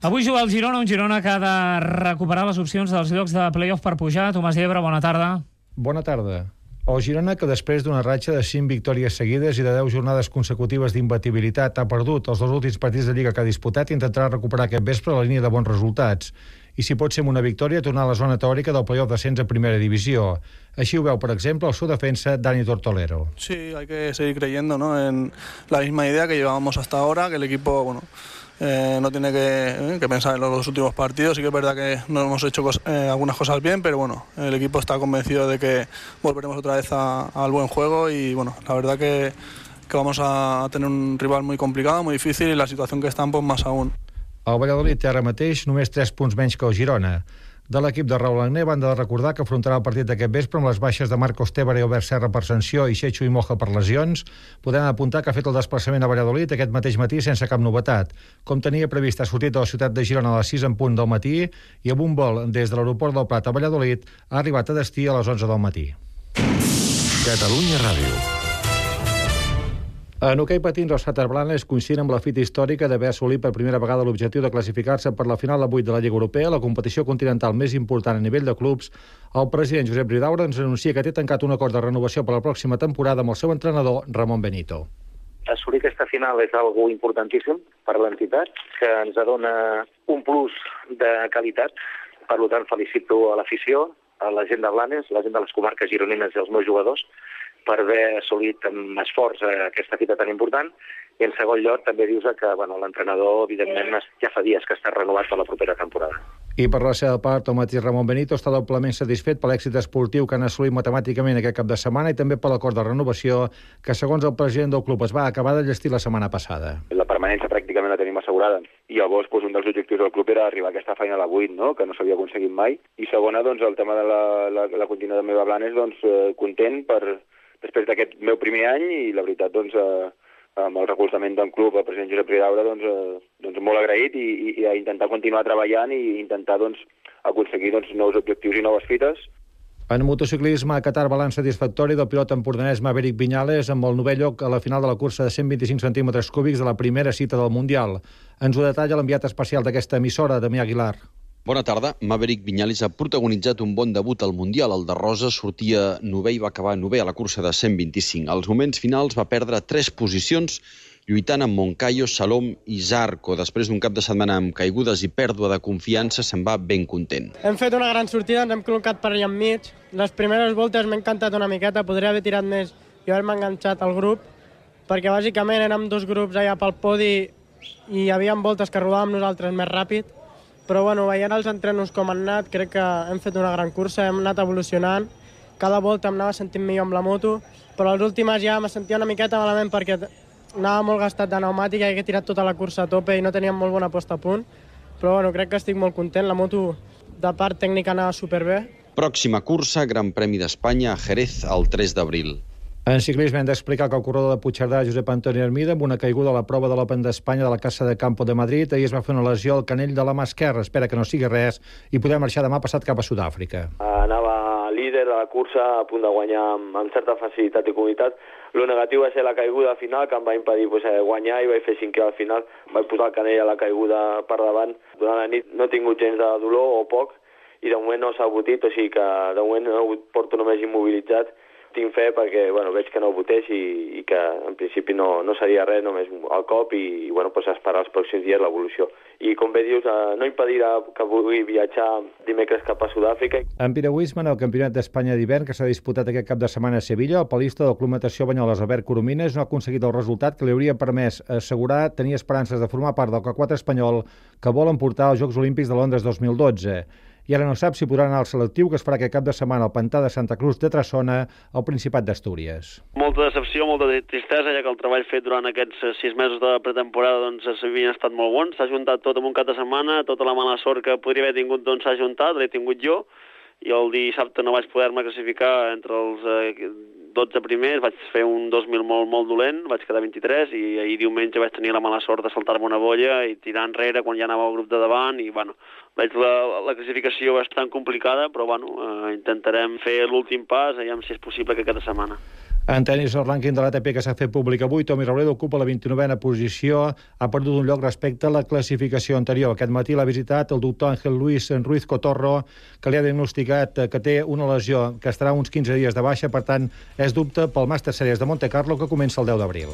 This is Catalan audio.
Avui juga el Girona, un Girona que ha de recuperar les opcions dels llocs de play-off per pujar. Tomàs Llebre, bona tarda. Bona tarda. El Girona, que després d'una ratxa de 5 victòries seguides i de 10 jornades consecutives d'imbatibilitat, ha perdut els dos últims partits de Lliga que ha disputat i intentarà recuperar aquest vespre la línia de bons resultats. I si pot ser amb una victòria, tornar a la zona teòrica del play-off d'ascens a primera divisió. Així ho veu, per exemple, el seu defensa, Dani Tortolero. Sí, hay que seguir creyendo, ¿no?, en la misma idea que llevábamos hasta ahora, que el equipo, no tiene que pensar en los últimos partidos. Sí que es verdad que no hemos hecho algunas cosas bien, pero bueno, el equipo está convencido de que volveremos otra vez al buen juego y bueno, la verdad que vamos a tener un rival muy complicado, muy difícil, y la situación que están, pues más aún. El Valladolid té ara mateix només 3 punts menys que el Girona. De l'equip de Raúl Agné van de recordar que afrontarà el partit d'aquest vespre amb les baixes de Marcos Tébara i Albert Serra per sanció i Xecho i Moja per lesions. Podem apuntar que ha fet el desplaçament a Valladolid aquest mateix matí sense cap novetat. Com tenia previst, ha sortit de la ciutat de Girona a les 6 en punt del matí i amb un vol des de l'aeroport del Prat a Valladolid ha arribat a destí a les 11 del matí. Catalunya Ràdio. En hoquei patins, els Blanes coincidien amb la fita històrica d'haver assolit per primera vegada l'objectiu de classificar-se per la final a 8 de la Lliga Europea, la competició continental més important a nivell de clubs. El president Josep Ridaura ens anuncia que té tancat un acord de renovació per la pròxima temporada amb el seu entrenador, Ramon Benito. Assolir aquesta final és algo importantíssim per l'entitat, que ens dona un plus de qualitat. Per tant, felicito a l'afició, a la gent de Blanes, la gent de les comarques gironines i els meus jugadors, per haver assolit amb esforç aquesta fita tan important. I en segon lloc també dius que l'entrenador, evidentment, ja fa dies que està renovat per la propera temporada. I per la seva part, el mateix Ramon Benito està doblement satisfet per l'èxit esportiu que han assolit matemàticament aquest cap de setmana i també per l'acord de renovació que, segons el president del club, es va acabar de llestir la setmana passada. La permanència pràcticament la tenim assegurada. I llavors, un dels objectius del club era arribar a aquesta final a 8, no?, que no s'havia aconseguit mai. I segona, el tema de la continuïtat meva a Blanes, content després d'aquest meu primer any i la veritat, amb el recolzament del club, el president Josep Ridaura, molt agraït i a intentar continuar treballant i intentar aconseguir nous objectius i noves fites. En motociclisme, a Qatar, balanç satisfactori del pilot empordanès Maverick Viñales amb el 9è lloc a la final de la cursa de 125 centímetres cúbics de la primera cita del Mundial. Ens ho detalla l'enviat especial d'aquesta emissora, Damià Aguilar. Bona tarda. Maverick Viñales ha protagonitzat un bon debut al Mundial. El de Rosa sortia 9è i va acabar 9è a la cursa de 125. Als moments finals va perdre 3 posicions, lluitant amb Moncayo, Salom i Zarco. Després d'un cap de setmana amb caigudes i pèrdua de confiança, se'n va ben content. Hem fet una gran sortida, ens hem col·locat per allà enmig. Les primeres voltes m'he encantat una miqueta, podria haver tirat més i haver-me enganxat al grup, perquè bàsicament érem 2 grups allà pel podi i hi havia voltes que rodàvem nosaltres més ràpid. Però veient els entrenos com han anat, crec que hem fet una gran cursa, hem anat evolucionant. Cada volta em anava sentint millor amb la moto, però a les últimes ja me sentia una miqueta malament perquè anava molt gastat de pneumàtica i he tirat tota la cursa a tope i no teníem molt bona posta a punt. Però crec que estic molt content, la moto de part tècnica anava superbé. Pròxima cursa, Gran Premi d'Espanya a Jerez el 3 d'abril. En ciclisme hem d'explicar que el corredor de Puigcerdà, Josep Antoni Hermida, amb una caiguda a la prova de l'Open d'Espanya de la Casa de Campo de Madrid, ahir es va fer una lesió al canell de la mà esquerra. Espera que no sigui res i podem marxar demà passat cap a Sud-àfrica. Anava líder de la cursa, a punt de guanyar amb certa facilitat i comoditat. Lo negatiu va ser la caiguda final, que em va impedir guanyar i vaig fer 5è al final. Vaig posar el canell a la caiguda per davant. Durant la nit no he tingut gens de dolor o poc i de moment no s'ha abutit, o sigui que de moment porto només immobilitzat. Tinc fe perquè veig que no votés i que en principi no seria res, només el cop i esperar els pròxims dies l'evolució. I com bé dius, no impedirà que vulgui viatjar dimecres cap a Sud-àfrica. En piragüisme, en el Campionat d'Espanya d'hivern que s'ha disputat aquest cap de setmana a Sevilla, el palista del Club Natació Banyoles, Albert Coromines, no ha aconseguit el resultat que li hauria permès assegurar tenir esperances de formar part del K4 espanyol que volen portar als Jocs Olímpics de Londres 2012. I ara no sap si podrà anar al selectiu que es farà aquest cap de setmana al pantà de Santa Cruz de Trassona, al Principat d'Astúries. Molta decepció, molta tristesa, ja que el treball fet durant aquests 6 mesos de pretemporada havien estat molt bons. S'ha juntat tot en un cap de setmana, tota la mala sort que podria haver tingut s'ha juntat, l'he tingut jo, i el dissabte no vaig poder-me classificar entre els 12 primers, vaig fer un 2000 molt dolent, vaig quedar 23 i ahir diumenge vaig tenir la mala sort de saltar-me una bolla i tirar enrere quan ja anava al grup de davant i veig la classificació bastant complicada, però intentarem fer l'últim pas, aviam si és possible que aquesta setmana. En tenis, el rànquing de l'ATP que s'ha fet públic avui, Tommy Robredo ocupa la 29a posició, ha perdut un lloc respecte a la classificació anterior. Aquest matí l'ha visitat el doctor Ángel Luis Ruiz Cotorro, que li ha diagnosticat que té una lesió que estarà uns 15 dies de baixa, per tant, és dubte pel Masters Series de Monte Carlo, que comença el 10 d'abril.